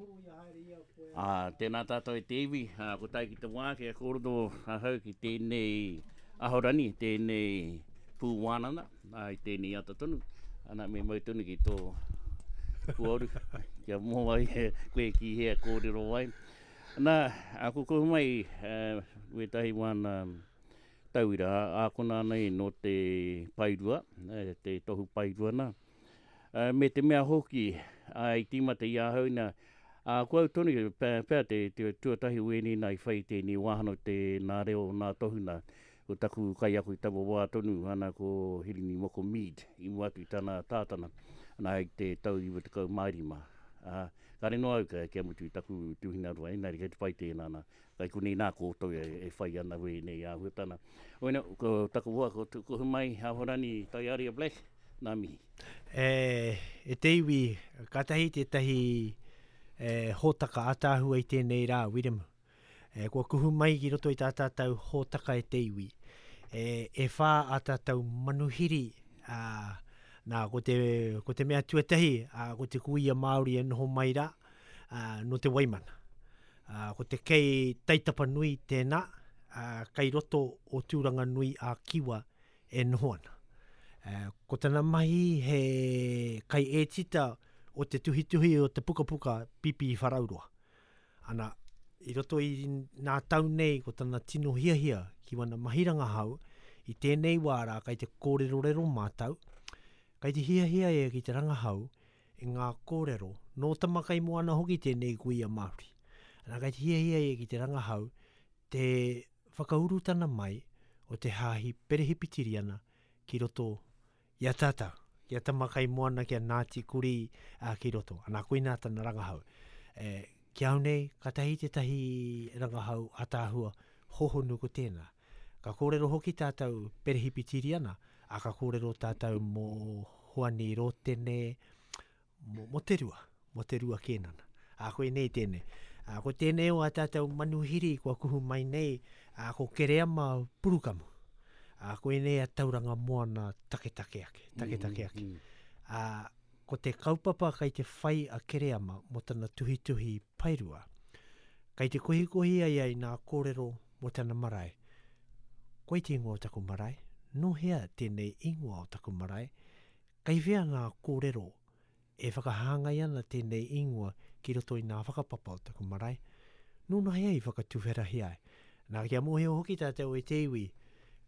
Ā, tēnā tātou e te iwi, ā, ko tae ki te wā kia kōrero ahau ki tēnei ahorangi, tēnei pū wānanga, ā, i tēnei ata tonu, ana, me mau tonu ki tō puoru, kia mō ai koe ki hea kōrero ai. Nā, ā, ko kohu mai wētahi wāna tauira, ākona ana i nō te paerua, te tohu paerua nā, Me te mea hoki, i tīmata i ahau nā, ā, ko au tonu pea te tuatahi o ēnei nā i whai i tēnei wāhanga o te nā reo o nā tohu nā. Ko taku kaiako i taua wā tonu, ana ko Hirini Moko Mead, i mua atu i tana tātana, ana i te tau 95. Ā, kāre noa au kia mutu i taku tuhina roa, engari kei te pai tēnā nā. Kai konei nā koutou e whai ana wēnei āhuatana. Oina, ko taku hoa, ko Tukuhumai Ahorangi Taiaria Black, Nā mihi. E, e te iwi, kātahi tētahi e, hōtaka ātaahua i tēnei rā, Wiremu. E, kua kuhu mai ki roto i tā tātou hōtaka e te iwi. E, e whā ā tātou manuhiri, ā, nā, ko te, ko te mea tuatahi, ā, ko te kuia Māori e noho mai rā, ā, nō te Waimana. Ā, ko te kei Taitapanui tēnā, ā, kei roto o Tūranganui a Kiwa e noho ana. Ko tana mahi he kaiētita o te tuhituhi o te pukapuka Pīpīwharauroa. Ana, i roto i nā tau nei ko tana tino hiahia ki wana mahi rangahau, i tēnei wā rā kai te kōrerorero mātau, kai te hiahia ia ki te rangahau i ngā kōrero, nō Tamakaimoana hoki tēnei kuia Māori. Ana, kai te hiahia ia ki te rangahau te whakaurutana mai o te Hāhi Perehipitiriana ki roto i a tātou, ki a Tamakaimoana, ki a Ngāti Kurī, ā, ki roto. Anā, koinā tana rangahau. E, ki au nei, kātahi tētahi rangahau ātaahua hōhonu ko tēnā. Ka kōrero hoki tātou Perehipitiriana, ā, ka kōrero tātou mō Hoani Rōtene, mō, mō te rua, mō te rua kēnana. Ā, koinei tēnei. Ā, ko tēnei o ā tātou manuhiri kua kuhu mai nei, ā, ko Kereama Purukamu. Ā, koinei a Tauranga Moana taketake ake, taketake ake. Mm -hmm. Ā, ko te kaupapa kei te whai a Kereama mō tana tuhituhi paerua, kei te kohikohi ai ai nā kōrero mō tana marae. Koi te ingoa o taku marae? Nō hea tēnei ingoa o taku marae? Kei whea ngā kōrero e whakahāngai ana tēnei ingoa ki roto i ngā whakapapa o taku marae? Nōnahea i whakatuwherahia ai? Nā, kia mōhio hoki tātou e te iwi,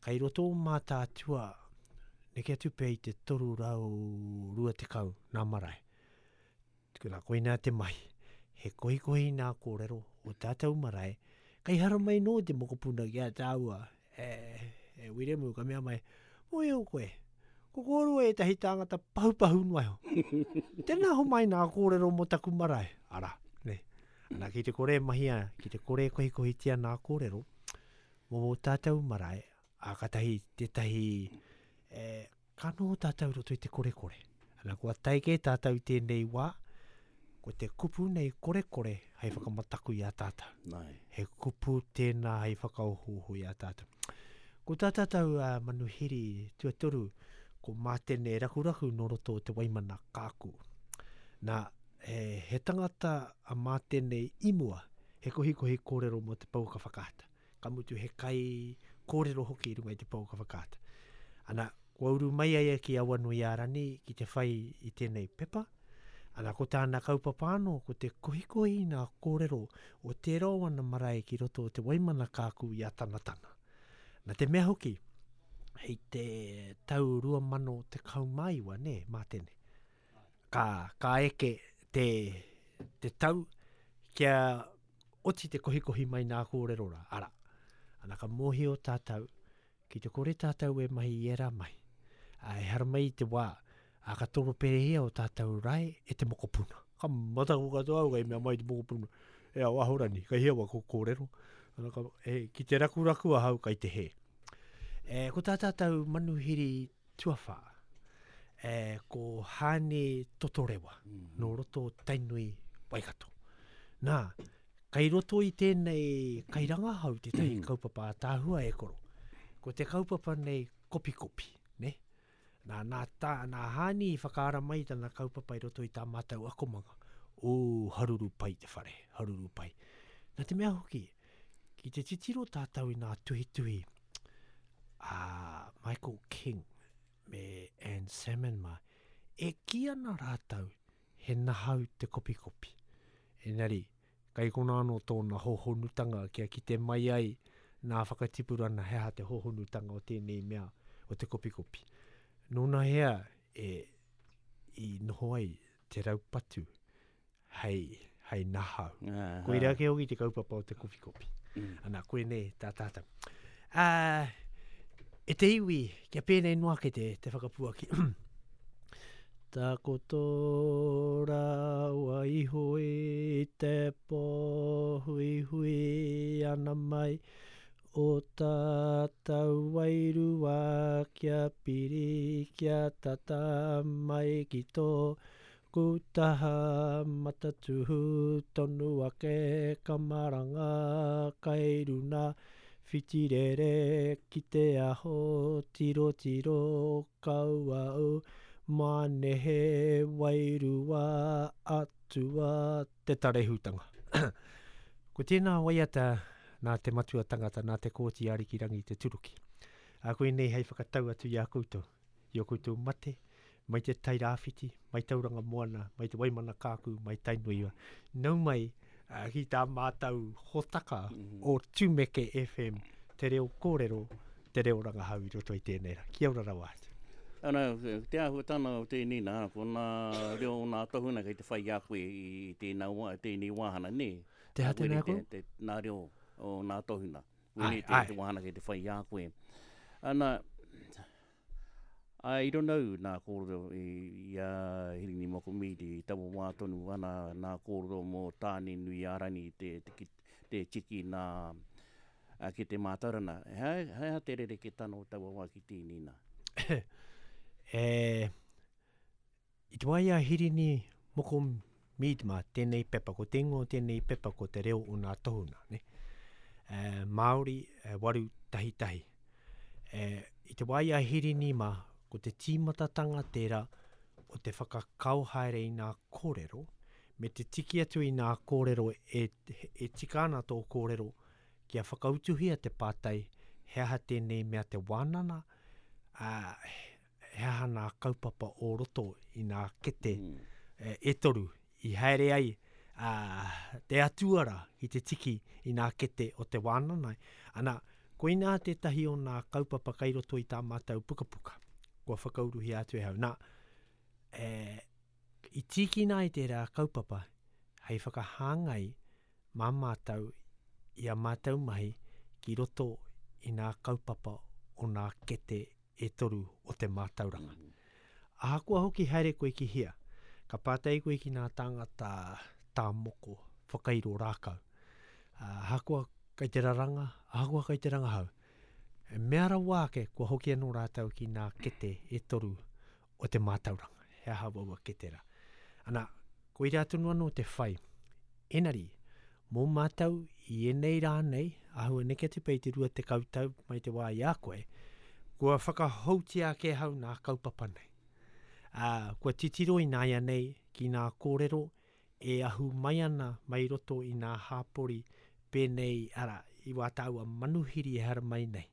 kei roto o Mātaatua neke atu pea i te 320 ngā marae. Nā, koinā te mahi, he kohikohi nā kōrero o tātou marae, kei haramai nō te mokopuna ki a tāua, e, e Wiremu, ka mea mai, mōhio koe, ko kōrua ētahi tāngata pahupahu noa iho. Tēnā homai nā kōrero mō taku marae, arā, nē. Nā, ki te kore e mahia, ki te kore e kohikohitia nā kōrero mō ō tātou marae, ā, kātahi tētahi, e, Ka noho tātou i roto i te korekore. Ana, kua tae kē tātou i tēnei wā, ko te kupu nei korekore hei whakamataku i a tātou. Nai. He kupu tēnā hei whakaohooho i a tātou. Ko tā tātou uh, manuhiri tuatoru, ko Mātene Rakuraku nō roto o Te Waimana Kāku. Nā, he, he tangata a Mātene i mua, he kohikohi kōrero mō te pouaka whakaata. ka mutu he kai kōrero hoki i runga i te pouaka whakaata. Ana, kua uru mai a ia ki Awanuiārani ki te whai i tēnei pepa, ana, ko tāna kaupapa anō, ko te kohikohi i ngā kōrero o tērā o ana marae ki roto o Te Waimana Kākū i Atanatana. Nā te mea hoki, hei te tau 2019, nē, Mātene, ka, ka eke te, te tau kia oti te kohikohi mai nā kōrero rā, arā, ana ka mōhio tātou, ki te kore tātou e mahi i ērā mahi, ā, e haramai i te wā, ā, ka toroperehia o tātou rae e te mokopuna. Ka mataku katoa au kei mea mai te mokopuna, e ao Ahorani, kei hea wako kōrero, ana ka, e, ki te rakuraku ahau kei te hē. E, ko tā tātou manuhiri tuawhā, e, ko Haane Totorewa, mm -hmm. nō roto Tainui Waikato. Nā, kei roto i tēnei kairangahau tētahi mm. kaupapa ātaahua e koro. Ko te kaupapa nei kopikopi, ne? Nā, nā, tā, nā Haani i whakaara mai tana kaupapa i roto i tā mātou akomanga. Ū, haruru pai te whare, haruru pai. Nā te mea hoki, ki te titiro tātou i nā tuhituhi a Michael King me Anne Salmon mā, e kī ana rātou he nahau te kopikopi. Engari, kai konā anō tōna hōhonutanga kia kite mai ai nā whakatipurana he aha te hōhonutanga o tēnei mea o te kopikopi. Nōnahea e i noho ai te raupatu hei, hei nahau. Uh, Koira ake hoki te kaupapa o te kopikopi. Mm. Ana, koinei tā tātou. Uh, e te iwi, kia pēnei noa ake te, te whakapuaki. Takoto rawa iho i te pō huihui ana mai o tātou wairua kia piri kia tata mai ki tō Kūtaha matatuhu tonu ake ka maranga kai runa whitirere ki te aho tirotiro kau au mā nehe wairua atua te tarehutanga. Ko tēnā waiata nā te matua tangata nā Te Kooti Arikirangi Te Turuki. Ā, koinei hei whakatau atu i a koutou. i ō koutou mate, mai te Tai Rāwhiti, mai Tauranga Moana, mai te Waimana Kākū, mai Tainui. Nau mai ki tā mātou hōtaka o Tumeke FM, te reo kōrero, te reo rangahau i roto i tēnei rā. Kia ora rawa atu. Ana, te āhuatanga o tēnei nā, ko nā reo o nā tohunga kei te whai i a koe i tēnā wā, tēnei wāhana, nē? Te aha tēnā koe? Te, nā reo o nā tohunga. Wēnei te, te wāhana kei te whai i a koe. Ana, I don't know nā kōrero i a Hirini Moko Mead i taua wā tonu ana nā kōrero mō Tāne-nui-ā-rangi te, te, te tiki nā ki te mātauranga. He, he aha te rerekētanga o taua wā ki tēnei nā? e, I te wā i a Hirini Moko Mead mā tēnei pepa, ko te ingoa o tēnei pepa ko Te Reo o Nā Tohunga, ne? E, Māori e, 811. E, I te wā i a Hirini mā, ko te tīmatatanga tērā o te whakakao haere i nā kōrero, me te tiki atu i nā kōrero e, e tika ana tō kōrero kia whakautuhia te pātai he aha tēnei mea te wānana, ā, he aha nā kaupapa o roto i nā kete mm. e toru i haere ai a, te atua rā ki te tiki i nā kete o te wānana. Ana, koinā tētahi o nā kaupapa kai roto i tā mātou pukapuka. Kua whakauruhia atu e hau. Nā, e, i tīkina ai tērā kaupapa hei whakahāngai mā mātou i a mātou mahi ki roto i nā kaupapa o nā kete e toru o te mātauranga. Ahakoa hoki haere koe ki hea, ka pātai koe ki nā tāngata tā moko, whakairo rākau. Ahakoa kai te raranga, ahakoa kai te rangahau, e mea rawa ake kua hoki anō rātou ki nā kete e toru o te mātauranga. He aha waua kete rā. Ana, koirā tonu anō te whai. Enari, Mō mātou i ēnei rā nei, āhua neke atu pea i te 20 tau mai te wā i a koe, kua whakahoutia ake ahau nā kaupapa nei. Ā, kua titiro ināianei ki nā kōrero e ahu mai ana mai roto i nā hāpori pēnei, arā, i wā tāua manuhiri e haramai nei.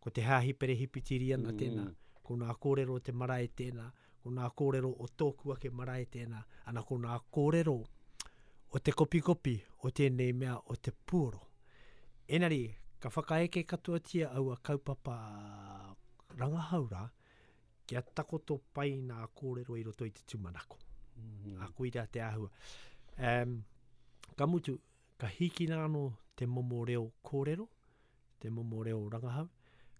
Ko te Hāhi Perehipitiriana tēnā, ko nā kōrero o te marae tēnā, ko nā kōrero o tōku ake marae tēnā, ana ko nā kōrero o te kopikopi o tēnei mea o te puoro. Engari, ka whakaeke katoatia aua kaupapa rangahau rā, kia takoto pai nā kōrero i roto i te tūmanako. Mm -hmm. A koira te āhua. Um, ka mutu, ka hīkina anō te momo reo kōrero, te momo reo rangahau,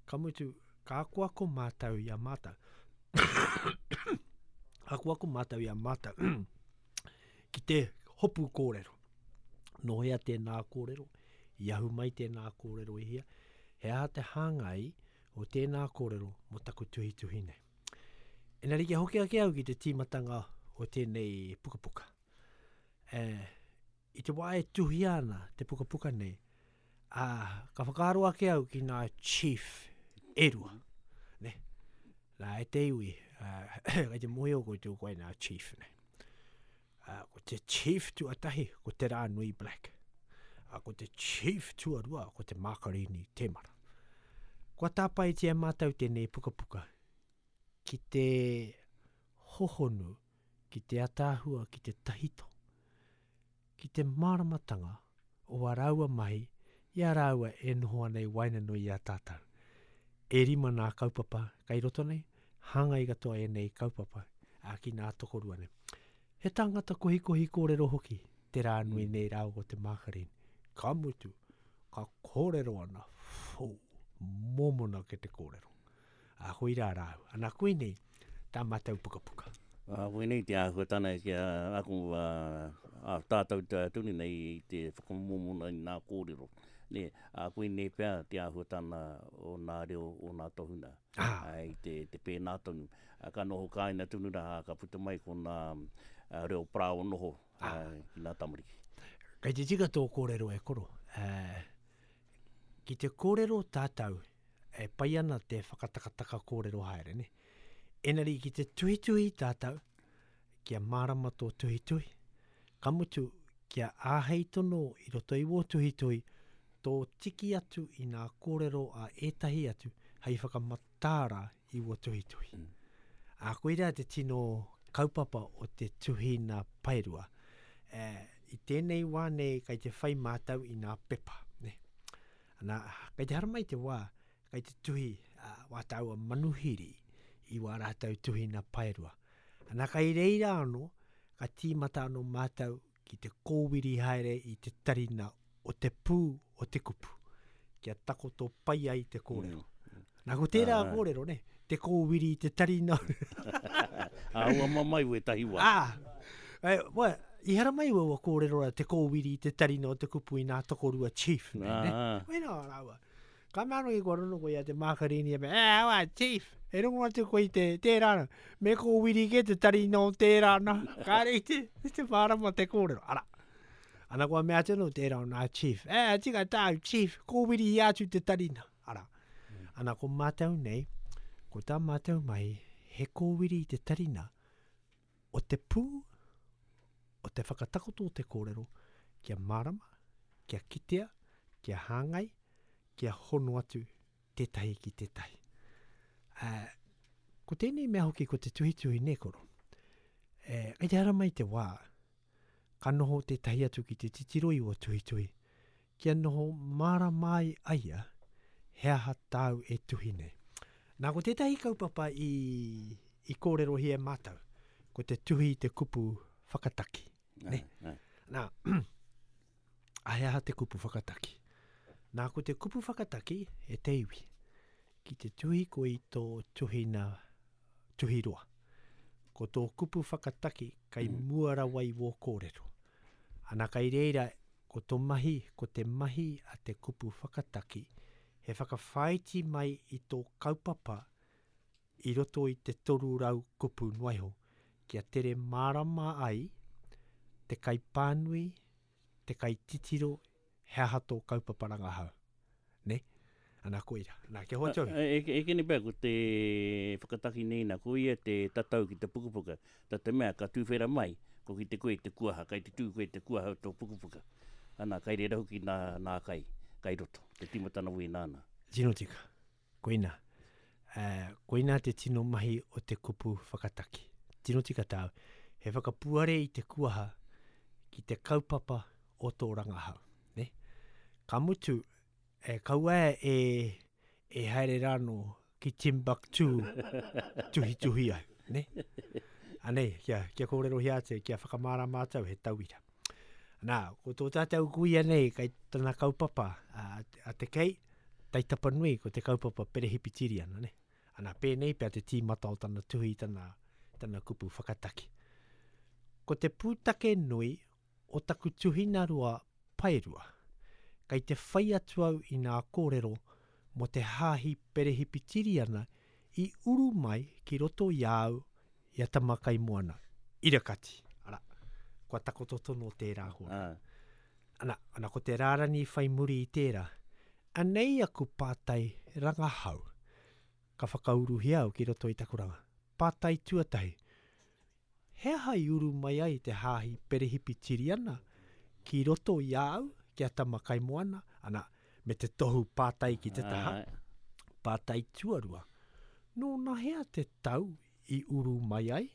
ka mutu, ka akoako mātou i a mātou. akoako mātou i a mātou ki te hopu kōrero. Nō hea tēnā kōrero, i ahu mai tēnā kōrero i hea, he aha te hāngai o tēnā kōrero mō taku tuhituhi nei. Engari kia hoki ake au ki te tīmatanga o tēnei pukapuka. E, I te wā e tuhia ana te pukapuka nei, ā, ka whakaaro ake au ki ngā chief e rua. Ne? Nā, e te iwi, ā, kei te mōhio koutou koe nā chief nei. Uh, ko te chief tuatahi, ko Te Rānui Black. Uh, ko te chief tuarua, ko te Mākarini Temara. Kua tāpaetia e mātou tēnei pukapuka ki te hohonu, ki te ataahua, ki te tahito, ki te māramatanga o ā rāua mahi i a rāua e noho ana i waenganui i a tātou. E rima nā kaupapa kai roto nei, hāngai katoa ēnei kaupapa ā, ki nā tokorua nei. He tāngata kohikohi kōrero hoki te rā nui nei rāua ko te Mākarini. Ka mutu, ka kōrero ana, whū, mōmona ke te kōrero. Ā, koirā rāua. Ana, koinei tā mātou pukapuka. Ā, koinei te āhuatana ki a aku, ā, ā tātou tonu nei i te whakamōmona i nā kōrero. Nē, ā, koinei pea te āhuatana o nā reo o nā tohunga. Ā. I te, te pēnā tonu. Ā, ka noho kāina tonu rā, ā, ka puta mai ko nā reo parāoa noho, ā, ki nā tamariki. Kei te tika tō kōrero e koro. Ā, ki te kōrero tātou, e pai ana te whakatakataka kōrero haere, ne? Engari ki te tuhituhi tātou, kia mārama tō tuhituhi, ka mutu, kia āhei tono i roto i wō tuhituhi, tō tiki atu i nā kōrero a ētahi atu hei whakamataara i wō tuhituhi. Mm. Ā, koirā te tino kaupapa o te tuhina paerua. E, i tēnei wā nei kei te whai mātou i nā pepa, ne? Ana, kei te haramai te wā, kei te tuhi uh, wā tāua manuhiri i wā rātou tuhina paerua. Ana, kei reira anō, ka tīmata anō mātou ki te kōwiri haere i te tarina o te pū o te kupu, kia takoto pai ai te kōrero. Mm. Nā, ko tērā ah. kōrero, ne? Te kōwiri i te tarina. Ā, ua mamae wētahi wā. Ā, e, wa, i haramai ua kōrero rā, te kōwiri i te tarina o te kupu i nā tokorua chief. Ne, ne? Wena rāua. Ka mea anō ki kua rono koe i a te Mākarini, e mea, e, awa, chief, e rongo atu koe i te, tērā na, me kōwiri kē te tarina o tērā na, kāre i te, i te mārama te kōrero, ara. Ana kua mea atu anō tērā o nā chief, e, tika tāu, chief, kōwiri i atu te tarina, ara. Ana ko mātou nei, ko tā mātou mahi, he kōwiri i te tarina o te pū, o te whakatakoto o te kōrero, kia mārama, kia kitea, kia hāngai, kia hono atu tētahi ki tētahi. Ā, ko tēnei mea hoki ko te tuhituhi nē koro. E, kei te haramai te wā, ka noho tētahi atu ki te titiro i ō tuhituhi, kia noho mārama ai a ia he aha tāu e tuhi nei. Nā, ko tētahi kaupapa i, i kōrerohia e mātou, ko te tuhi i te kupu whakataki. Nē? Nā, a he aha te kupu whakataki? Nā, ko te kupu whakataki e te iwi, ki te tuhi koe i tō tuhina tuhiroa. Ko tō kupu whakataki kai mm. mua rawa i wō kōrero. Ana kai reira, ko tō mahi, ko te mahi a te kupu whakataki, he whakawhāiti mai i tō kaupapa i roto i te 300 kupu noa iho, kia tere mārama ai te kaipānui, te kaititiro he aha tō kaupapa rangahau. Nē? Ana, koira. Nā, kia hoatu au. E, e kene pea ko te whakataki nei nā, ko ia te tatau ki te pukapuka, tā te mea ka tūwhera mai, ko ki te koe te kuaha, kai te tū koe te kuaha o tō pukapuka. Ana, kai reira hoki nā, nā kai, kai roto, te tīmatana wēnā nā. Tino tika. Koina. Koina te tino mahi o te kupu whakataki. Tino tika tāu. He whakapuare i te kuaha ki te kaupapa o tō rangahau. Ne? Ka mutu, e, kaua e, e haere rānō ki Timbuktu tuhituhi ai. Ne? Anei, kia, kia kōrerohia atu, kia whakamārama atu he tauira. Nā, ko tō tātou kuia nei, kai tana kaupapa a, a te kei, Taitapanui, ko te kaupapa Perehipitiriana, ne? Ana, pēnei pea te tīmata o tana tuhi i tana, tana kupu whakataki. Ko te pūtake nui o taku tuhina roa paerua, kei te whai atu au i nā kōrero mō te hāhi Perehipitiriana i uru mai ki roto i a au i a Tamakaimoana, Irakati, arā, kua takoto tono tērā hōrā. Ana, ana ko te rārani whai muri i tērā, anei aku pātai rangahau ka whakauruhia au ki roto i taku ranga. Pātai tuatahi, He aha i uru mai ai te Hāhi Perehipitiriana ki roto i a au, ki a Tamakaimoana, ana, me te tohu pātai ki te taha? Pātai tuarua, nōnahea te tau i uru mai ai,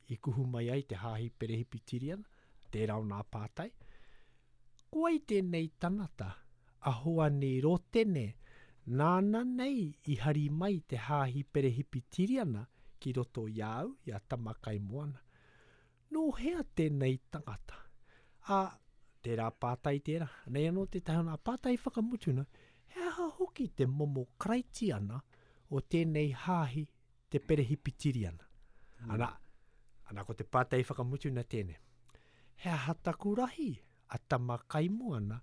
i kuhu mai ai te Hāhi Perehipitiriana? Tērā o nā pātai. Ko wai tēnei tangata, a Hoani Rotene, nāna nei i hari mai te Hāhi Perehipitiriana ki roto i a au, i a Tamakaimoana? Nō hea tēnei tangata? Ā, tērā pātai tērā. Anei anō tētahi o nā pātai whakamutuna, he aha hoki te momo Karaitiana o tēnei Hāhi te Perehipitiriana? Ana, ana ko te pātai whakamutuna tēnei. He aha taku rahi a Tamakaimoana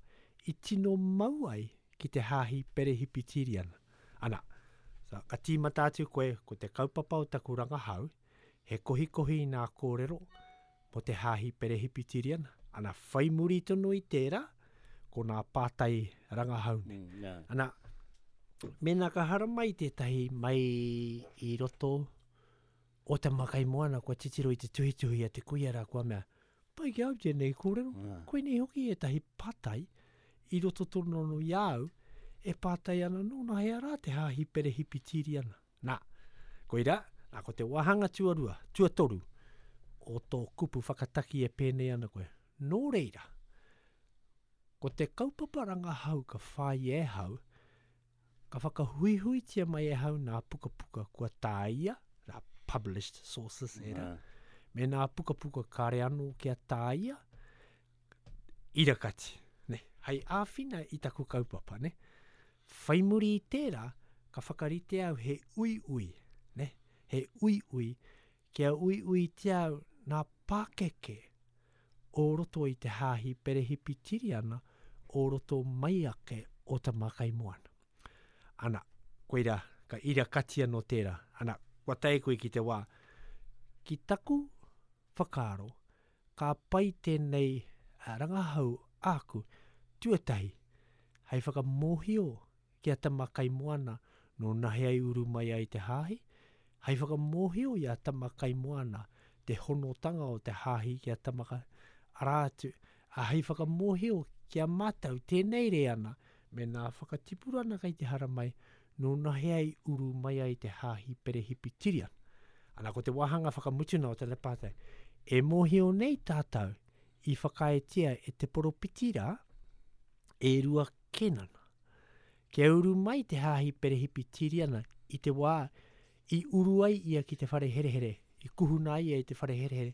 i tino mau ai ki te Hāhi Perehipitiriana? Ana, so, ka tīmata atu koe ko te kaupapa o taku rangahau, he kohikohi i nā kōrero mō te Hāhi Perehipitiriana. Ana, whai muri tonu i tērā, ko nā pātai rangahau nei. Mm, yeah. Ana, mēnā ka haramai tētahi mai i roto o Tamakaimoana kua titiro i te tuhituhi a te kuia rā kua mea, pai ki au tēnei kōrero, yeah. koinei hoki ētahi pātai i roto tonu anō i a au e pātai ana nōnahea rā te Hāhi Perehipitiriana. Nā, koirā, nā, ko te wāhanga tuarua, tuatoru o tō kupu whakataki e pēnei ana koe. Nō reira, ko te kaupapa rangahau ka whāia e hau, Ka whakahuihuitia mai e hau nā pukapuka kua tāia, nā published sources ērā, me nā pukapuka kāre anō kia tāia, irakati, ne? Hei āwhina i taku kaupapa, ne? Whai muri i tērā, ka whakarite au he uiui, ne? He uiui, kia uiuitia au nā pākeke o roto i te Hāhi Perehipitiriana o roto mai ake o Tamakaimoana. Ana, koirā, ka ira kati anō tērā. Ana, kua tae koe ki te wā. Ki taku whakaaro, ka pai tēnei rangahau āku, tuatahi, hei whakamōhio ki a Tamakaimoana nō nahea i uru mai ai te hāhi, hei whakamōhio i a Tamakaimoana te honotanga o te hāhi ki a Tamaka, arā atu, ā, hei whakamōhio ki a mātou tēnei reanga me nā whakatipurana kei te haramai nō nahea i uru mai ai te hāhi Perehipitiriana. Ana, ko te wāhanga whakamutuna o tana pātai, e mōhio nei tātou i whakaaetia e te poropiti rā, e Rua Kenana. Kia uru mai te Hāhi Perehipitiriana i te wā i uru ai ia ki te whare herehere, i kuhuna ai ia i te whare herehere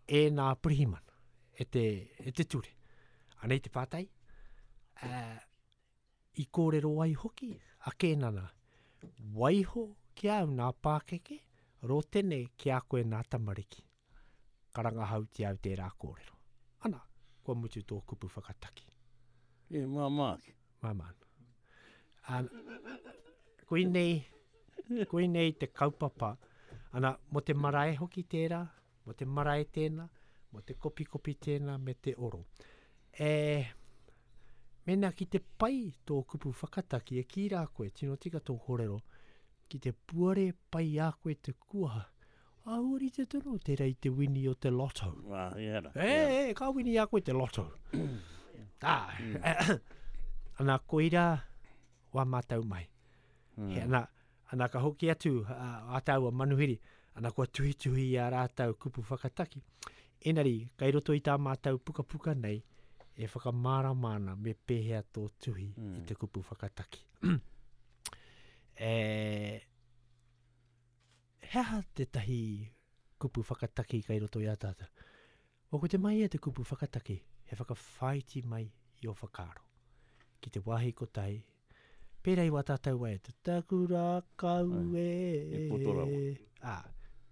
e nā pirihimana, e te, e te ture. Anei te pātai, uh, i kōrero ai hoki a Kēnana, waiho ki a au nā pākeke, rotene ki a koe nā tamariki. Ka rangahautia au tērā kōrero. Ana, kua mutu tō kupu whakataki. E māmā ake. Māmā ana. Ana, koinei, koinei te kaupapa. Ana, mō te marae hoki tērā, mō te marae tēnā, mō te kopikopi tēnā me te oro. E, mēnā ki te pai tō kupu whakataki, e kī rā koe, tino tika tō kōrero, ki te puare pai a koe te kuaha, Āhua rite tonu tērā i te wini o te lotto. Wā, ia ra. E, e, ka wini a koe te lotto. Ah, mm. ana koira wā mātou mai. Mm. He, ana, ana ka hoki atu a, a tāua manuhiri, ana kua tuhituhi i a rātou kupu whakataki. Enari, kai roto i tā mātou pukapuka nei, e whakamārama ana me pēhea tō tuhi mm. i te kupu whakataki. e, He aha tētahi kupu whakataki kei roto i a tātou? Well, ko te mahi a te kupu whakataki, he whakawhāiti mai i ō whakaaro. Ki te wāhi kotahi, pērā i wā tātou waiata, taku rākau e... He poto rawa. Ā,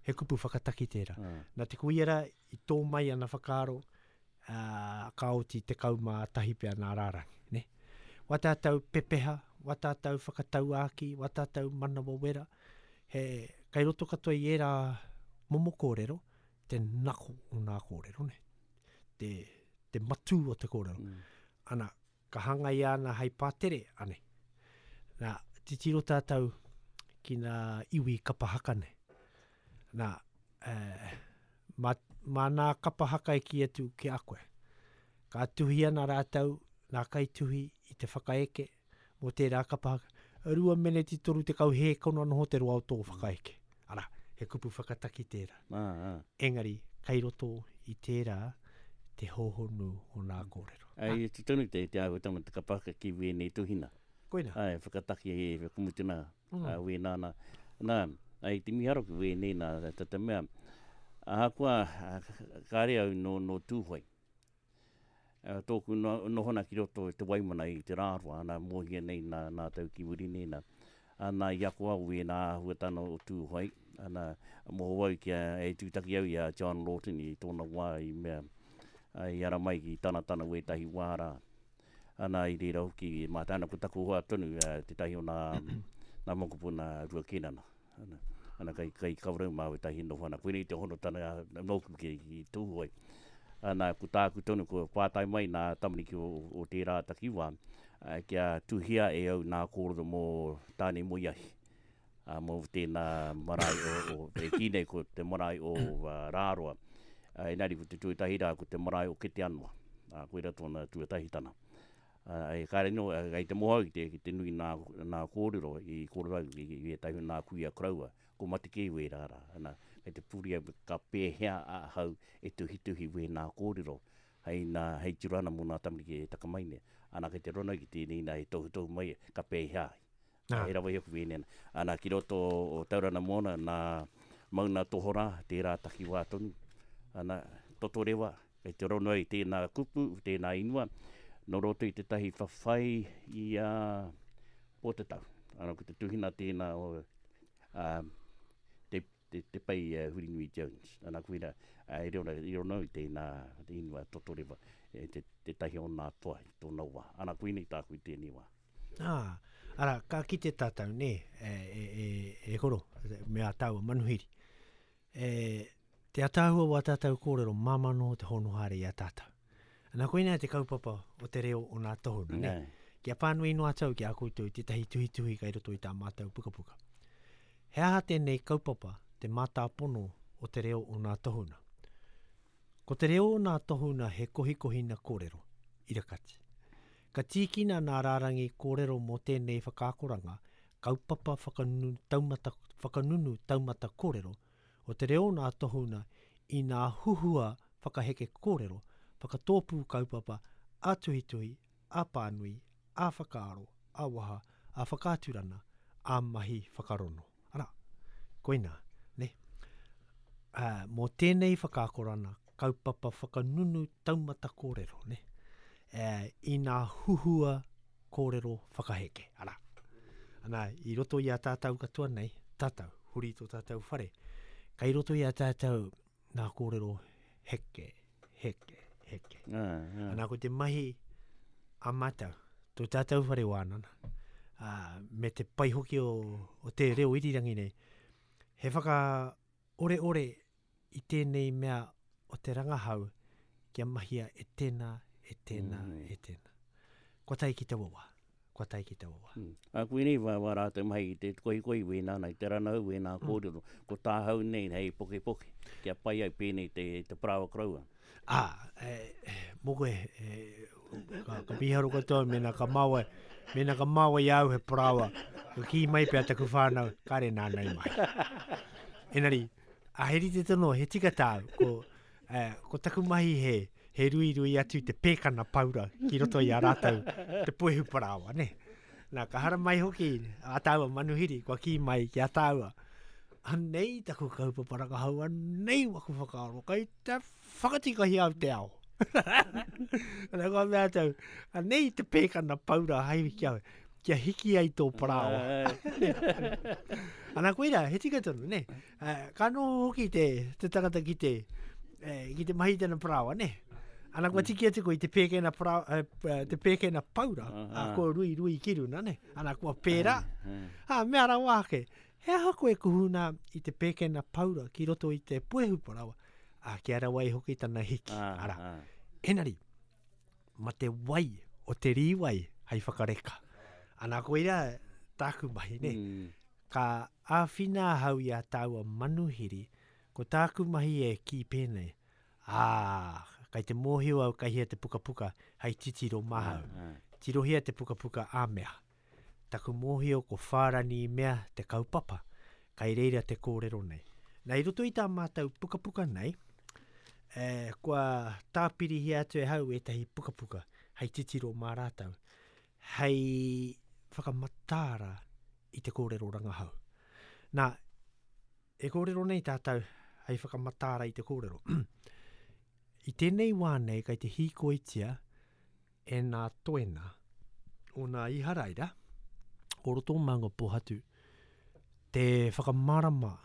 he kupu whakataki tērā. Nā te kuia rā, i tō mai ana whakaaro, ā, ka oti 11 pea nā rārangi, nē? Wā tātou pepeha, wā tātou whakatauākī, wā tātou manawa wera, he, kei roto katoa i ērā momo kōrero, te nako o nā kōrero, nē? Te, te matū o te kōrero. Mm. Ana, ka hangaia ana hei pātere, anei. Nā, titiro tātou ki nā iwi kapa haka nei. Nā, eh, mā, mā nā kapa haka e kī atu ki a koe. Ka tuhi ana rātou, nā kaituhi i te whakaeke mō tērā kapa haka, 2 meneti 30 hēkona noho te roa o tō whakaeke. Arā, he kupu whakataki tērā. Engari, kei roto i tērā te hōhonu o nā kōrero. Ai, e tonu te, te āhuatanga o te kapa haka ki wēnei tuhina. Koina. Ai, whakataki e whakamutuna mm. a wēnā nā. Nā, ai te miharo ki wēnei nā, tā te mea, ahakoa kāre au nō, nō Tūhoe. Tōku nohona ki roto i te Waimana i te Rāroa, ana mōhia nei nā, nā tau ki muri nei nā. Ana i ako au wēnā āhuatana o Tūhoe, ana moho au kia e tūtaki au i a John Lawton i tōna wā i mea, i ara mai ki tana tana wētahi wā rā. Ana i reira hoki mātou, ana ko taku hoa tonu tētahi o nā, nā mokopuna Rua Kēnana. Ana, ana kai, kai Kawerau mā wētahi noho ana. Koinei te honotanga nōku ki, ki Tūhoe. Ana, ko tāku tonu, ko pātai mai nā tamariki o, o tērā takiwā, kia tuhia e au nā kōrero mō Tānemoeahi, mō tēnā marae o, o, e kī nei ko te marae o Rāroa. Engari ko te tuatahi rā, ko te marae o Keteanoa. Koira tōna tuatahitana. Ā, e kāre anō, kei te moho au ki te, ki te nui nā, nā kōrero i kōrero au i, i ētahi o nā kuia koroua, ko mate kē wērā rā, ana, kei te puri au ka pēhea ahau e tuhituhi wēnā kōrero hei nā, hei tiro ana mō nā tamariki e taka mai nei. Ana, kei te rono au ki tēnei nā e tohutohu mai ka pēhea ai. Nā. He rawa i aku wēnei. Ana, ki roto o Tauranga Moana, nā Mauna Tohorā, tērā takiwā tonu. Ana, Totorewa, kei te rono ai tēnā kupu, tēnā ingoa, nō roto i tētahi whawhai i a Pōtatau. Ana, ko te tuhina tēnā o a, te, te, te Pei uh, Hurinui Jones. Ana, koira, uh, i rono, i rono i tēnā ingoa Totorewa, e te, tētahi o nā toa i tōna wā. Ana, koinei tāku i tēnei wā. Ā, arā, ka kite tātou, nē, e, e, e, e koro, me ā tāua manuhiri. E, te ataahua o ā tātou kōrero, māmā noa te hono haere i a tātou. Ana koinā te kaupapa o te reo o nā tohuna, nē? Kia pānui noa atu au ki a koutou tētahi tuhituhi kai roto i tā mātou pukapuka. He aha tēnei kaupapa, te mātāpono o te reo o nā tohuna? Ko te reo o nā tohuna he kohikohina kōrero, irakati. Ka tīkina nā rārangi kōrero mō tēnei whakaakoranga kaupapa whakanunu taumata, whakanunu taumata kōrero o te reo nā tohuna i nā huhua whakaheke kōrero, whakatōpū kaupapa ā-tuhituhi, ā-pānui, ā-whakaaro, ā-waha, ā-whakaaturana, ā-mahi whakarono. Arā, koinā, nē. Ā, mō tēnei whakaakorana kaupapa whakanunu taumata kōrero, nē, ā, i nā huhua kōrero whakaheke, arā. Ana, i roto i a tātou katoa nei, tātou, huri tō tātou whare, kei roto i a tātou nā kōrero heke, heke, heke. Ah, ah. Ana, ko te mahi a mātou, tō tātou whare wānana, ā, me te pai hoki o, o te reo irirangi nei, he whakaoreore i tēnei mea o te rangahau kia mahia e tēnā, e tēnā, mm. e tēnā. Kua tae ki taua wā. Kua tae ki taua wā. Mm. A koinei wā, wā rātou mahi i te kohikohi wēnā nei, te ranau wēnā mm. kōrero. Ko tāhau nei hei pokepoke, kia pai ai pēnei te, te parāoa koroua. Ā, e, mō koe, e, ka, ka mīharo katoa mēnā ka māwai, mēnā ka māwai i a au he parāoa, ka kī mai pea taku whānau, kāre nāna i mahi. Engari, a he rite tonu, he tika tāu, ko, e, ko taku mahi he, he ruirui atu te pēkana paura ki roto i a rātou te puehu parāoa, ne? Nā, ka haramai hoki a tāua manuhiri, kua kī mai ki a tāua, anei taku kaupapa rangahau, anei waku whakaaro, kai te whakatikahia au te ao. Ana kua mea atu au, anei te pēkana paura hai kia, kia hiki ai tō parāoa. Ana koira, he tika tonu, ne? Ka noho hoki te, te tangata ki te, eh, ki te mahi tana parāoa, ne? Ana kua tiki atu koe i te pēkena, parāoa, eh, te pēkena paura, uh -huh. a kua rui rui ki runa, ne? Ana kua pērā. Uh -huh. Ha, mea rawa ake, he aha koe kuhuna i te pēkena paura ki roto i te puehu parāoa? A, kia rawa ai hoki tana hiki. Ah, Ara. Ah. Enari, ma te wai o te rīwai hei whakareka. Ana koira tāku mahi, ne? Mm. Ka āwhina ahau i a tāua manuhiri, ko tāku mahi e kī pēnei, Ā, kai te mōhio au kai hea te pukapuka hei titiro māhau. Tirohia te pukapuka a mea. Taku mōhio ko Whārani mea te kaupapa, kai reira te kōrero nei. Nā, i roto i tā mātou pukapuka nei, e, kua tāpirihia atu e hau ētahi pukapuka hei titiro mā rātou, hei whakamataara i te kōrero rangahau. Nā, E kōrero nei tātou hei whakamataara i te kōrero. I tēnei wā nei kei te hīkoitia e nā toena o nā Iharaira o roto o Maungapōhatu te whakamārama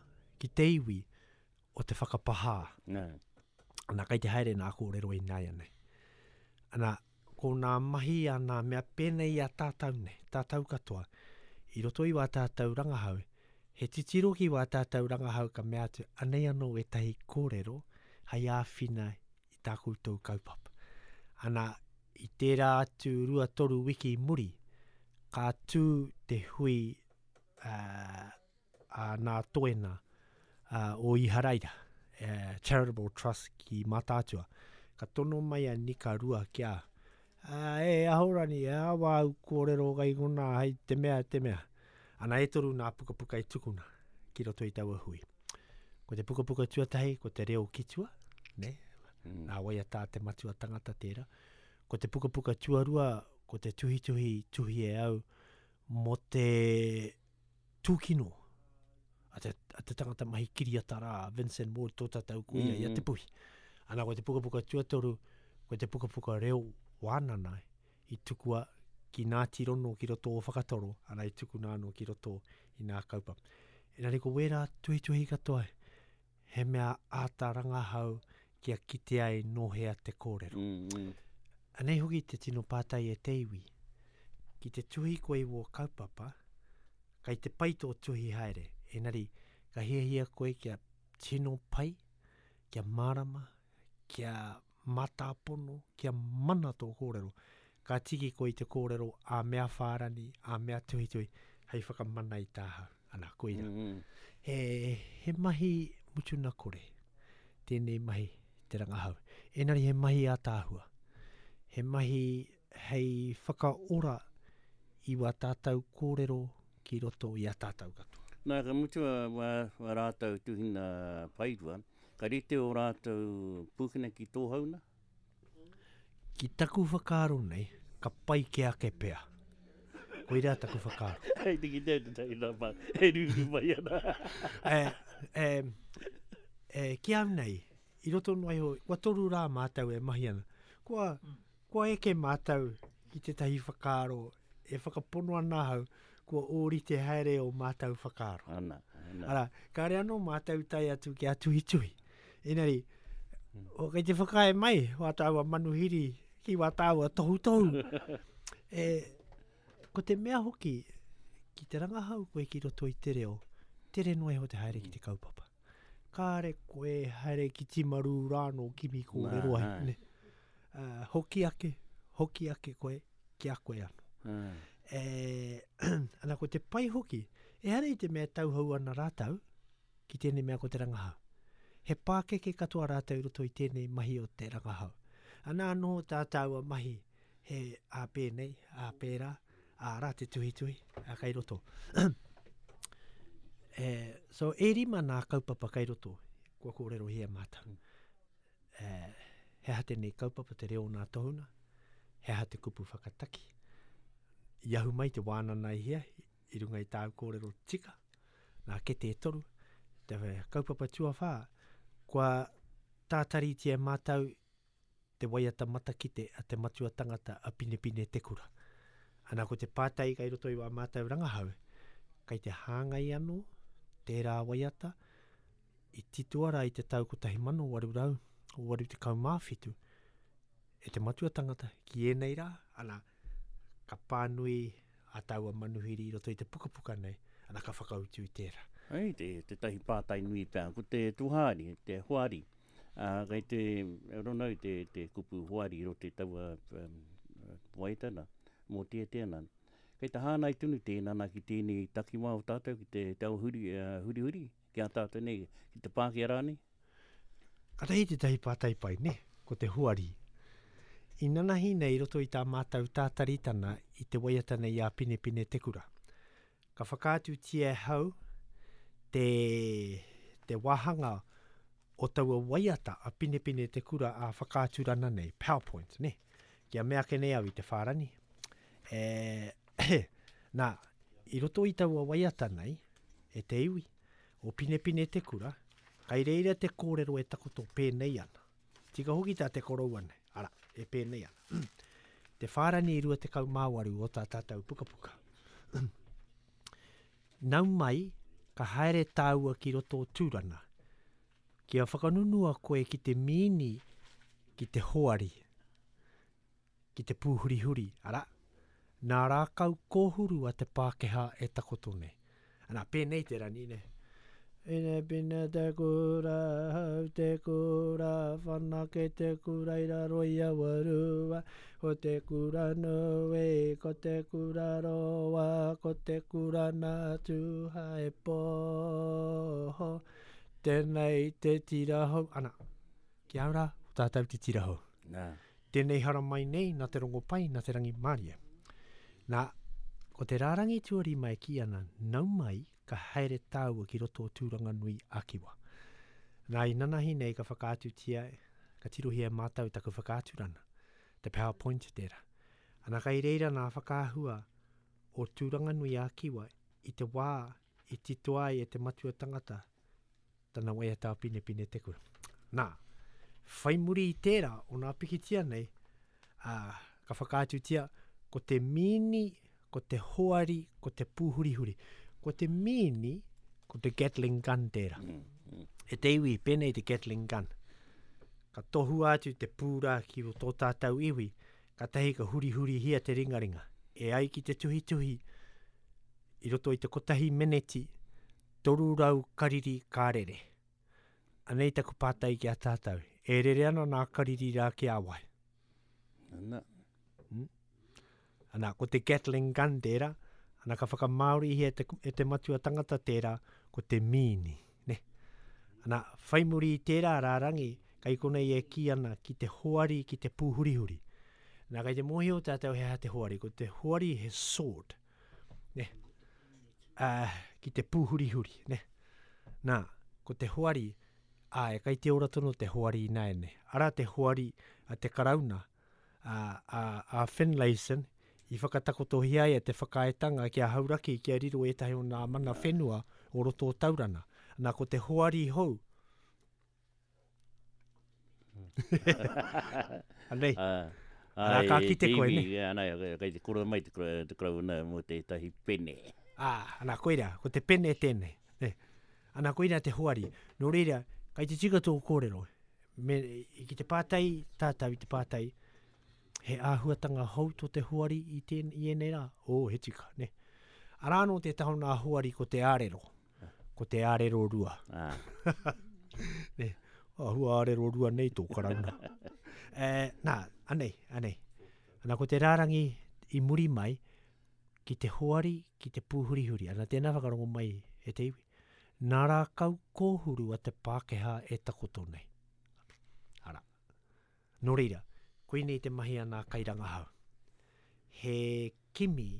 ki te iwi o te whakapahā. Nā. Ana, kei te haere nā kōrero ināianei. Ana, ko nā mahi a nā mea pēnei i a tātou nei, tātou katoa, i roto i wā tātou rangahau, he titiro ki wā tātou rangahau ka mea atu, anei anō ētahi kōrero hei āwhina i tā koutou kaupapa. Ana, i tērā atu 2-3 wiki i muri, ka tū te hui uh, a nā toena o Iharaira, Charitable Trust ki Mātaatua. Ka tono mai a Nika Rua ki a, e Ahorani, e awa au kōrero kai konā hei te mea, te mea. Ana e toru nā pukapuka i tukuna ki roto i taua hui. Ko te pukapuka tuatahi, ko te reo ki tua, ne? Mm. Nā waiata a te matua tangata tērā. Ko te pukapuka tuarua, ko te tuhituhi tuhi e au mō te tūkino a te, a te tangata mahi kiriata rā, Vincent Ward, tō tātou kuia mm -hmm. i a Te Puhi. Ana, ko te pukapuka tuatoru, ko te pukapuka reo wānana i tukua ki nā tirono ki roto o Whakatoro, ana i tukuna anō ki roto i nā kaupapa. Engari ko wērā tuhituhi katoa, he mea āta rangahau kia kite ai nō hea te kōrero. Mm -hmm. Anei hoki te tino pātai e te iwi. Ki te tuhi koe i wō kaupapa, kai te pai tō tuhi haere, engari ka hiahia koe kia tino pai, kia mārama, kia mātāpono, kia mana tō kōrero. Ka tiki koe i te kōrero a mea whārani, a mea tuhituhi, hei whakamana i tāhau. Ana, koira. Mm -hmm. He, he mahi mutuna kore, tēnei mahi te rangahau. Engari he mahi ātaahua. He mahi hei whakaora i wā tātou kōrero ki roto i a tātou katoa. Nā, ka mutu a, wā, wā rātou tuhina paerua, ka rite ō rātou pūkena ki tō hauna? Ki taku whakaaro nei, ka pai ke ake pea. Koirā taku whakaaro. Hei te kite au tētahi nā pā, e rūrū mai ana. e, e, e, ki au nei, i roto noa iho, kua toru rā mātou e mahi ana. Kua, kua eke mātou ki tētahi whakaaro e whakapono ana ahau, kua ōrite haere ō mātou whakaaro. Ana, ana. Arā, kāre anō mātou tae atu kia tuhituhi. Engari, o, kei te whakaae mai wā tāua manuhiri ki wā tāua tohutohu. e, ko te mea hoki, ki te rangahau koe ki roto i te reo, tere noa iho te haere ki te kaupapa. Kāre koe haere ki Timaru rānō kimi kōrero ai. Ne? Uh, hoki ake, hoki ake koe ki a koe anō. E, ana ko te pai hoki, ehara i te mea tauhou ana rātou ki tēnei mea ko te rangahau. He pākeke katoa rātou i roto i tēnei mahi o te rangahau. Ana anō tā tāua mahi he ā pēnei, ā pērā, ā rā te tuhituhi, ā kai roto. e, so e rima nā kaupapa kai roto, kua kōrerohia mātou. E, he aha tēnei kaupapa te reo nā tohunga, he aha te kupu whakataki. I ahu mai te wānana i hea, i runga i tāu kōrero tika, nā kete e toru, te kaupapa tuawhā, kua tātaritia e mātou te waiata matakite a te matua tangata a Pinepine Te Kura. Ana ko te pātai kai roto i wā mātou rangahau, kai te hāngai anō tērā waiata i titoa rā i te tau 1887 e te matua tangata ki ēnei rā, ana, ka pānui a taua manuhiri i roto i te pukapuka nei, ana ka whakautu i tērā. Hei, te, tētahi pātai nui pea, ko te tuhaari, te hoari, ā, kei te ronau te, te kupu hoari i roto i taua um, waiata nā, mōteatea nā. Kei te hāngai tonu tēnā nā ki tēnei takiwā o tātou, ki te, te ao huri, uh, hurihuri, ki a tātou nei, ki te Pākehā rānei? Katahi tētahi pātai pai, nē, ko te hoari. I nanahi nei i roto i tā mātou tātaritana i te waiata nei a Pinepine Te Kura. Ka whakaatutia e hau te, te wāhanga o taua waiata a Pinepine Te Kura ā whakaaturana nei, PowerPoint, nē. Kia mea ake nei au i te whārani. E, nā, i roto i taua waiata nei, e te iwi, o Pinepine Te Kura, kai reira te kōrero e takoto pēnei ana. Tika hoki tā te koroua nei, arā, e pēnei ana. Te whārani 28 o tā tātou pukapuka. Nau mai, ka haere tāua ki roto o Tūrana, kia whakanunua koe ki te mīni ki te hoari, ki te pūhurihuri, arā, nā rākau kōhuru a te Pākehā e takoto nei. Ana, pēnei te rani, nē. Ine pine te kura, hau te kura, whanake te kura i raro i aua rua, ko te kura nui, ko te kura roa, ko te kura nā Tūhaepō, tēnei te tira hou. Ana, ki au rā, ko tātou te tira hou. Nā. Tēnei haramai nei nā te rongopai, nā te rangimārie. Nā, ko te rārangi tuarima e kī ana, nau mai, ka haere tāua ki roto o Tūranganui a Kiwa. Nā, i nanahi nei ka whakaatutia, ka tirohia e mātou taku whakaaturana, te PowerPoint tērā. Ana kai reira nā whakaahua o Tūranganui a Kiwa i te wā i titoa ai e te matua tangata tana waiata a Pinepine te kura. Nā, whai muri i tērā o nā pikitia nei, ā, ka whakaatutia ko te mīni, ko te hoari, ko te pūhurihuri. Ko te mīni, ko te Gatling gun tērā. Mm, mm. E te iwi, pēnei te Gatling gun. Ka tohua atu te pūrā ki tō tātou iwi, katahi ka hurihurihia te ringaringa. E ai ki te tuhituhi, i roto i te kotahi meneti, 300 kariri ka rere. Anei taku pātai ki a tātou, e rere ana nā kariri rā ki a wai? Ana. Hmm? Ana, ko te Gatling gun tērā, ana ka whakamāorihia e te, e te matua tangata tērā, ko te mīni. Ne? Ana, whai muri i tērā rārangi, kai konei e kī ana ki te hoari ki te pūhurihuri. Nā, kai te mōhio tātou he aha te hoari, ko te hoari he sword. Ne? Uh, ki te pūhurihuri, ne? Nā, ko te hoari, āe, kai te ora tonu te hoari ināianei. Arā te hoari a te Karauna, a, a, a Finlayson, i whakatakotohia ai e te whakaaetanga ki a Hauraki kia riro ētahi o nā mana whenua o roto o Taurana. Nā, ko te hoari hou, Anei. Arā, ka kite koe, ne? Ana, kei te kura mai te karauna mō tētahi pene. Ā, ana, koira, ko te pene tēnei. Ne? Ana, koira te hoari. Nō reira, kei te tika tō kōrero. Me, ki te pātai tātou i te pātai, he āhuatanga hou tō te hoari i, tēn, i ēnei rā? Ō, he tika, ne? Arā anō tētahi o nā hoari ko te ārero. Ko te ārero rua. Ah. ne, āhua ārero rua nei tō karauna. e, nā, anei, anei. Ana ko te rārangi i muri mai, ki te hoari, ki te pūhurihuri. Ana tēnā whakarongo mai e te iwi. Nā rākau kōhuru a te Pākehā e takoto nei. Ara. Nō reira, koinei te mahi a nā kairangahau. He kimi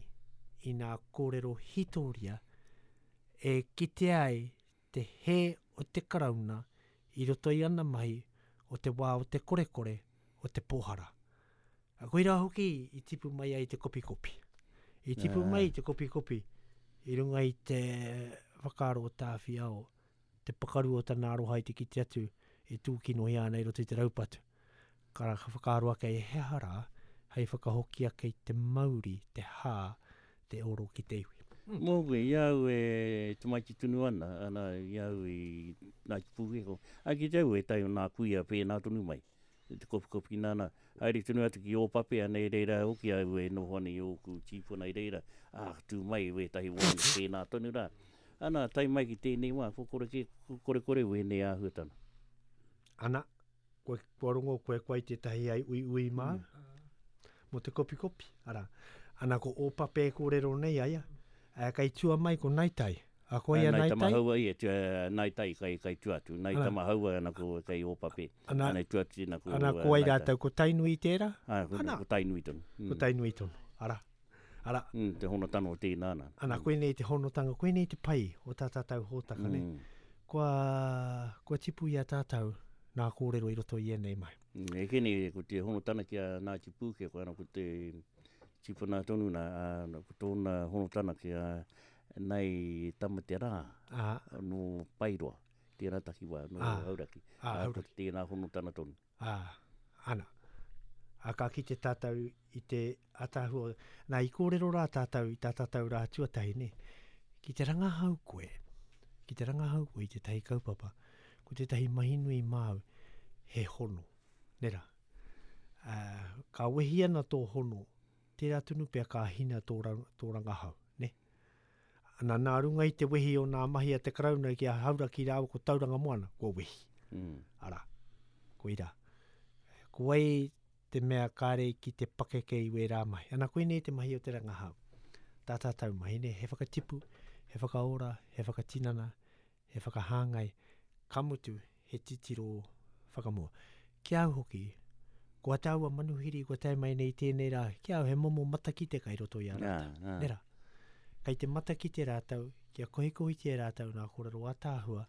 i nā kōrero hītōria e kitea ai te hē o te Karauna i roto i ana mahi o te wā o te korekore o te pōhara. Koirā hoki i tipu mai ai te kopikopi. I tipu mai te kopikopi i runga i te whakaaro o Tāwhiao te pakaru o tana aroha i te kite atu e tūkinohia ana i roto i te raupatu. Ka whakaaro ake he aha rā hei whakahoki ake i te mauri, te hā, te oro ki te iwi. Mōku, i a au e tamaiti tonu ana, ana, i a au i Ngāti Pūkeko, ā, ki te au ētahi o nā kuia pēnā tonu mai, te kopikopi nāna, haere tonu atu ki Ōpape, ana i reira hoki au e noho ana i ōku tīpuna i reira, ā, ka tū mai wētahi wāhine pēnā tonu rā. Ana, tae mai ki tēnei wā, kua kore kē, kua korekore wēnei āhuatanga. Ana, kua, kua rongo koe koe tētahi ai uiui māu, mō te kopikopi, arā. Ana, ko Ōpape e kōrero nei aia, ā, kei tua mai ko Naitai. A ko ia Nai Tamahaua ia, Nai Tai kai, kai tua atu. Nai Tamahaua ana ko kei Ōpape. Ana, ana tua atu tēnā ko Ana ko ai rātou, ko Tainui tērā? Ā, ko, ana. ko Tainui tonu. Mm. Ko Tainui tonu, ara. Ara. Mm, te honotanga o tēnā ana. Ana, koinei te honotanga, koinei te pai o tā tātou hōtaka, mm. ne? Kua, kua tipu i a tātou nā kōrero i roto i ēnei mai. Mm, e kene, ko te honotanga ki a Ngāti Pūke, ko ana ko te tipuna tonu nā, ko tōna honotanga ki a Nai Tamaterā, nō Paeroa, tērā takiwā, nō Hauraki. Ā, Hauraki. Ko tēnā honotanga tonu. Ā, ana. Ā, ka kite tātou i te ataahua. Nā, i kōrero rā tātou i tā tātou rā tuatahi, nē. Ki te rangahau koe, ki te rangahau koe i tētahi kaupapa, ko tētahi mahi nui māu, he hono, nē rā. Ā, ka wehi ana tō hono, tērā tonu pea ka hina tō, tō rangahau, nē. Ana, nā runga i te wehi o nā mahi a te Karauna ki a Hauraki rāua ko Tauranga Moana, kua wehi. Mm. Arā, koirā. Ko wai te mea kāre ki te pakeke i wērā mahi. Ana, koinei te mahi o te rangahau. Tā tātou mahi, nē, he whakatipu, he whakaora, he whakatinana, he whakahāngai, ka mutu, he titiro whakamua. Ki a au hoki, ko a tāua manuhiri kua tae mai nei tēnei rā, ki a au he momo matakite kai roto i a rātou. Yeah, yeah. Nē rā? Kai te matakite rātou, kia kohikohitia e rātou nā kōrero ātaahua,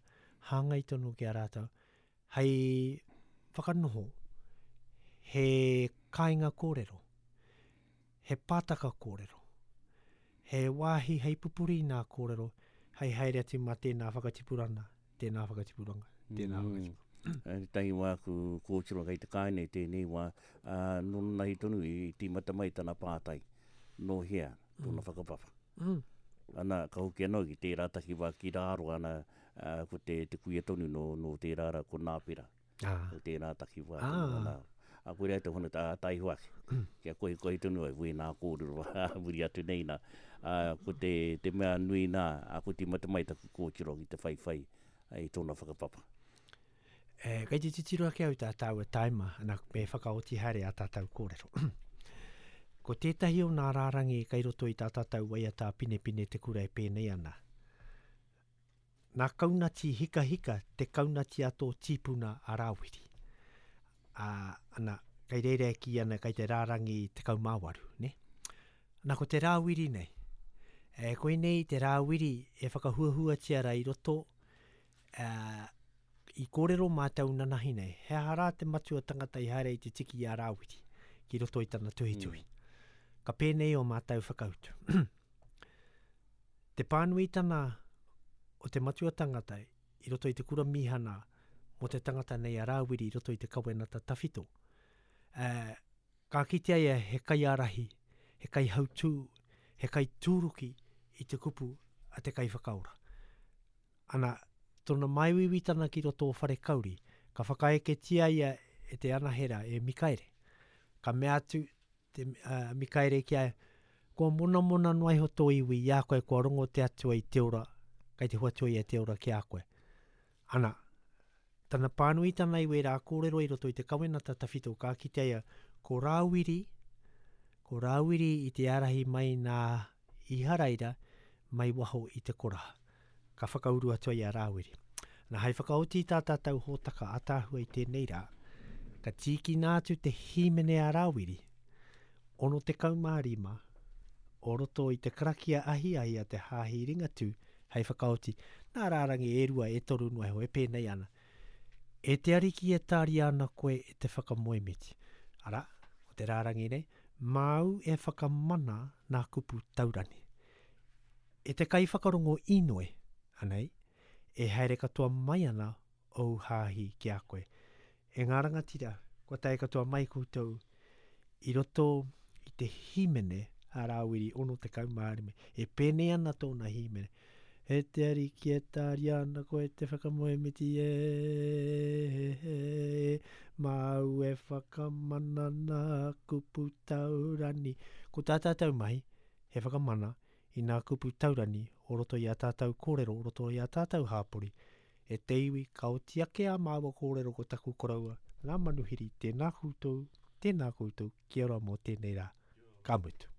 hāngai tonu ki a rātou, hei whakanoho he kāinga kōrero, he pātaka kōrero, he wāhi hei pupuri i nā kōrero, hei haere atu mā tēnā whakatipurana, tēnā whakatipuranga, tēnā mm. whakatipuranga. Tētahi wā ku kōtiro kei te kāinga i tēnei wā, ā, nō tonu i tīmata mai tana pātai, nō hea tōna mm. whakapapa. Mm. Ana, ka hoki anō ki tērā takiwā ki rāro, ana, ā, ko te, te kuia tonu nō, nō tērā rā, ko Nāpera. Ah. Ko tērā takiwā. Ah. Tonu, ana, a koira te hono tā taiho ake. Mm. Kia kohikohi tonu ai, wēnā kōrero, muri atu nei nā. A, ko te, te mea nui nā, a ko tīmata mai taku kōtiro ki te whaiwhai i tōna whakapapa. E, kei te titiro ake au tā tāua taima, ana, me whakaoti haere a tātou kōrero. ko tētahi o nā rārangi kei roto i tā tātou waiata pinepine te kura e pēnei ana. Nā kaunati hikahika te kaunati a tō tīpuna a Rāwiri. Ā, ana, kei reira e kī ana kei te rārangi 18, nē? Ana, ko te Rāwiri nei, e, koinei te Rāwiri e whakahuahuatia rā i roto, ā, i kōrero mātou nanahi nei, he aha rā te matua tangata i haere i te tiki i a Rāwiri ki roto i tana tuhituhi. Mm. Ka pēnei o mātou whakautu. Te pānuitana o te matua tangata i roto i te kura mīhana mō te tangata nei a Rāwiri i roto i te kawenata tawhito. Ā, ka kitea ia he kaiārahi, he kaihautū, he kaitūruki i te kupu a te kaiwhakaora. Ana, tōna māuiuitana ki roto o Wharekauri, ka whakaeketia ia e te anahera e Mikaere. Ka mea atu te uh, Mikaere ki a Kua monamona noa iho tō iwi i a koe kua rongo te Atua i te ora, kei te hoatu ia te ora ki a koe. Ana, tana pānuitana i wērā kōrero i roto i te kawenata tawhito ka kitea ia ko Rāwiri, ko Rāwiri i te ārahi mai nā Iharaira mai waho i te koraha. Ka whakauru atu ai a Rāwiri. Na, hai whakaoti i tā tātou hōtaka ataahua i tēnei rā, ka tīkina atu te hīmene a Rāwiri, 65, o roto i te karakia ahiahi a te Hāhi Ringatū hei whakaoti, nā rārangi e rua, e toru noa iho, e pēnei ana, E te Ariki e tāria ana koe e te whakamoemiti. Arā, ko te rārangi nei, māu e whakamana nā kupu taurani. E te kaiwhakarongo inoi, anei, e haere katoa mai ana ōu hāhi ki a koe. E ngā rangatira, kua tae katoa mai koutou i roto i te hīmene a Rāwiri 65, e pēnei ana tōna hīmene, E te Ariki e tāria ana koe te whakamoemiti e, e, māu e whakamana nā kupu taurani. Ko tā tātou mahi, he whakamana i nā kupu taurani o roto i ā tātou kōrero, o roto i ā tātou hāpori. E te iwi, ka oti ake ā māua kōrero ko taku koroua, ngā manuhiri, tēnā koutou, tēnā koutou, kia ora mō tēnei rā. Ka mutu.